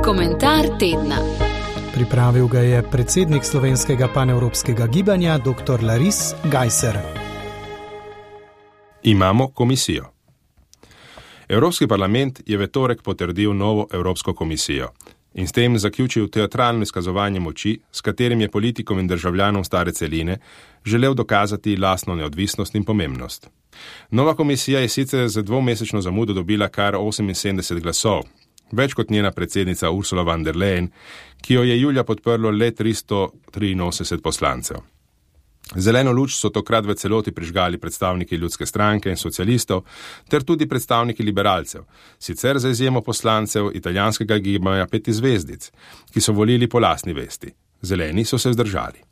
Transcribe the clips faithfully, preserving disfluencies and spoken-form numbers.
Komentar tedna. Pripravil ga je predsednik slovenskega panevropskega gibanja dr. Laris Gajser. Imamo komisijo. Evropski parlament je v torek potrdil novo Evropsko komisijo in s tem zaključil teatralno izkazovanje moči, s katerim je politikom in državljanom stare celine želel dokazati lastno neodvisnost in pomembnost. Nova komisija je sicer za dvomesečno zamudo dobila kar oseminsedemdeset glasov, več kot njena predsednica Ursula von der Leyen, ki jo je julija podprlo le tristo triinosemdeset poslancev. Zeleno luč so tokrat v celoti prižgali predstavniki Ljudske stranke in socialistov, ter tudi predstavniki liberalcev, sicer za izjemo poslancev italijanskega gibanja Peti zvezdic, ki so volili po lastni vesti. Zeleni so se vzdržali.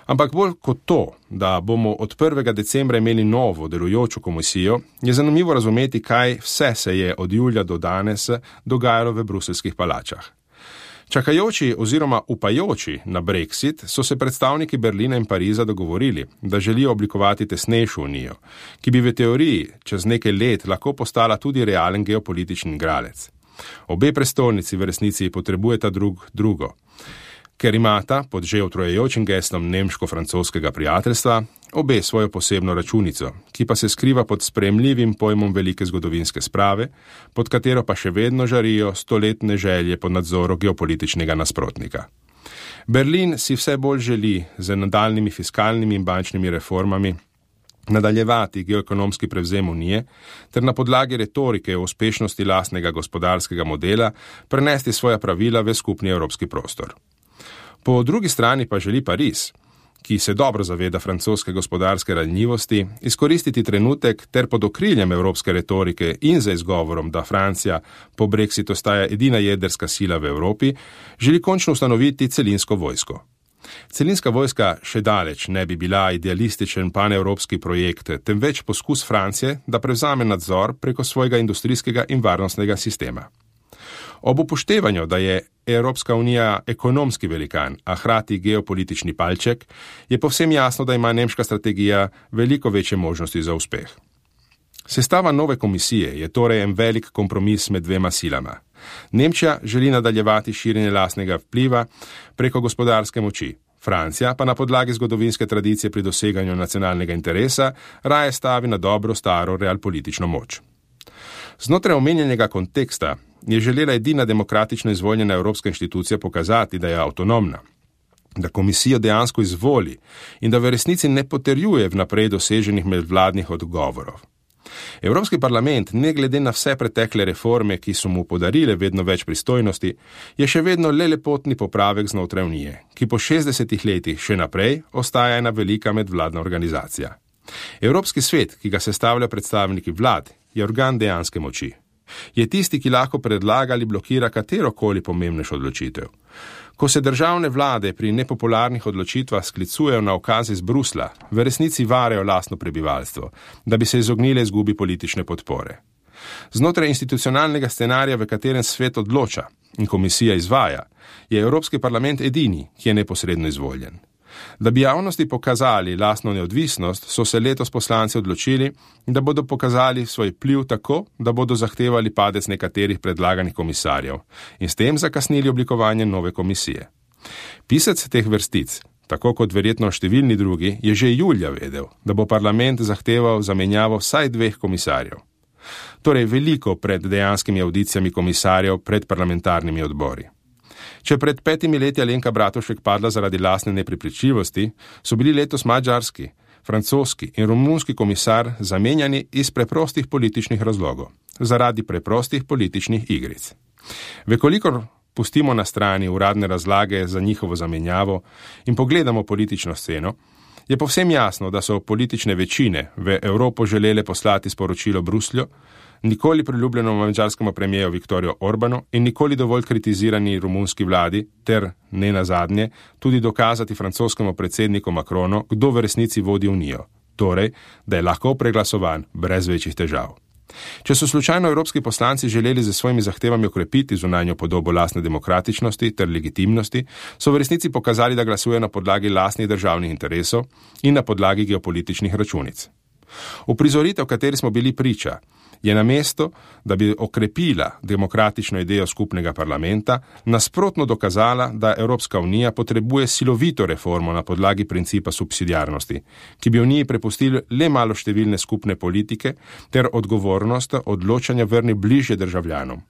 Ampak bolj kot to, da bomo od prvega decembra imeli novo delujočo komisijo, je zanimivo razumeti, kaj vse se je od julija do danes dogajalo v bruseljskih palačah. Čakajoči oziroma upajoči na Brexit so se predstavniki Berlina in Pariza dogovorili, da želijo oblikovati tesnejšo unijo, ki bi v teoriji čez nekaj let lahko postala tudi realen geopolitični igralec. Obe prestolnici v resnici potrebujeta drug drugo, ker imata pod že utrojajočim geslom nemško-francoskega prijateljstva obe svojo posebno računico, ki pa se skriva pod sprejemljivim pojmom velike zgodovinske sprave, pod katero pa še vedno žarijo stoletne želje pod nadzorom geopolitičnega nasprotnika. Berlin si vse bolj želi z nadaljnimi fiskalnimi in bančnimi reformami nadaljevati geoekonomski prevzem unije ter na podlagi retorike o uspešnosti lastnega gospodarskega modela prenesti svoja pravila v skupni evropski prostor. Po drugi strani pa želi Pariz, ki se dobro zaveda francoske gospodarske ranljivosti, izkoristiti trenutek ter pod okriljem evropske retorike in za izgovorom, da Francija po Brexitu ostaja edina jedrska sila v Evropi, želi končno ustanoviti celinsko vojsko. Celinska vojska še daleč ne bi bila idealističen panevropski projekt, temveč poskus Francije, da prevzame nadzor preko svojega industrijskega in varnostnega sistema. Ob upoštevanju, da je Evropska unija ekonomski velikan, a hkrati geopolitični palček, je povsem jasno, da ima nemška strategija veliko večje možnosti za uspeh. Sestava nove komisije je torej en velik kompromis med dvema silama. Nemčija želi nadaljevati širjenje lastnega vpliva preko gospodarske moči, Francija pa na podlagi zgodovinske tradicije pri doseganju nacionalnega interesa raje stavi na dobro staro realpolitično moč. Znotraj omenjenega konteksta je želela edina demokratično izvoljena evropska inštitucija pokazati, da je avtonomna, da komisijo dejansko izvoli in da v resnici ne potrjuje vnaprej doseženih medvladnih odgovorov. Evropski parlament, ne glede na vse pretekle reforme, ki so mu podarile vedno več pristojnosti, je še vedno le lepotni popravek znotraj unije, ki po šestdesetih letih še naprej ostaja ena velika medvladna organizacija. Evropski svet, ki ga sestavljajo predstavniki vlad, je organ dejanske moči. Je tisti, ki lahko predlaga ali blokira katerokoli pomembnejšo odločitev. Ko se državne vlade pri nepopularnih odločitvah sklicujejo na ukaze iz Brusla, v resnici varejo lastno prebivalstvo, da bi se izognile izgubi politične podpore. Znotraj institucionalnega scenarija, v katerem svet odloča in komisija izvaja, je Evropski parlament edini, ki je neposredno izvoljen. Da bi javnosti pokazali lastno neodvisnost, so se letos poslanci odločili, da bodo pokazali svoj vpliv tako, da bodo zahtevali padec nekaterih predlaganih komisarjev in s tem zakasnili oblikovanje nove komisije. Pisec teh vrstic, tako kot verjetno številni drugi, je že julija vedel, da bo parlament zahteval zamenjavo vsaj dveh komisarjev. Torej veliko pred dejanskimi audicijami komisarjev pred parlamentarnimi odbori. Če pred petimi leti Alenka Bratušek padla zaradi lastne neprepričljivosti, so bili letos madžarski, francoski in romunski komisar zamenjani iz preprostih političnih razlogov, zaradi preprostih političnih igric. Vekolikor pustimo na strani uradne razlage za njihovo zamenjavo in pogledamo politično sceno, je povsem jasno, da so politične večine v Evropo želele poslati sporočilo Bruslju, nikoli priljubljenemu madžarskemu premijeju Viktorju Orbanu in nikoli dovolj kritizirani romunski vladi ter, ne nazadnje, tudi dokazati francoskemu predsedniku Macronu, kdo v resnici vodi unijo, torej, da je lahko preglasovan brez večjih težav. Če so slučajno evropski poslanci želeli z svojimi zahtevami okrepiti zunanjo podobo lastne demokratičnosti ter legitimnosti, so v resnici pokazali, da glasujejo na podlagi lastnih državnih interesov in na podlagi geopolitičnih računic. Uprizoritev, kateri smo bili priča, je na mesto, da bi okrepila demokratično idejo skupnega parlamenta, nasprotno dokazala, da Evropska unija potrebuje silovito reformo na podlagi principa subsidiarnosti, ki bi uniji prepustili le malo številne skupne politike ter odgovornost odločanja vrnil bližje državljanom.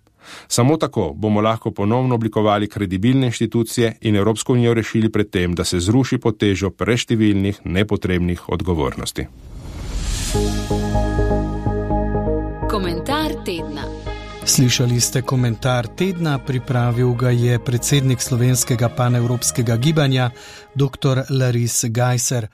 Samo tako bomo lahko ponovno oblikovali kredibilne inštitucije in Evropsko unijo rešili pred tem, da se zruši pod težo preštevilnih, nepotrebnih odgovornosti. Komentar tedna. Slišali ste komentar tedna, pripravil ga je predsednik slovenskega panevropskega gibanja, doktor Laris Gajser.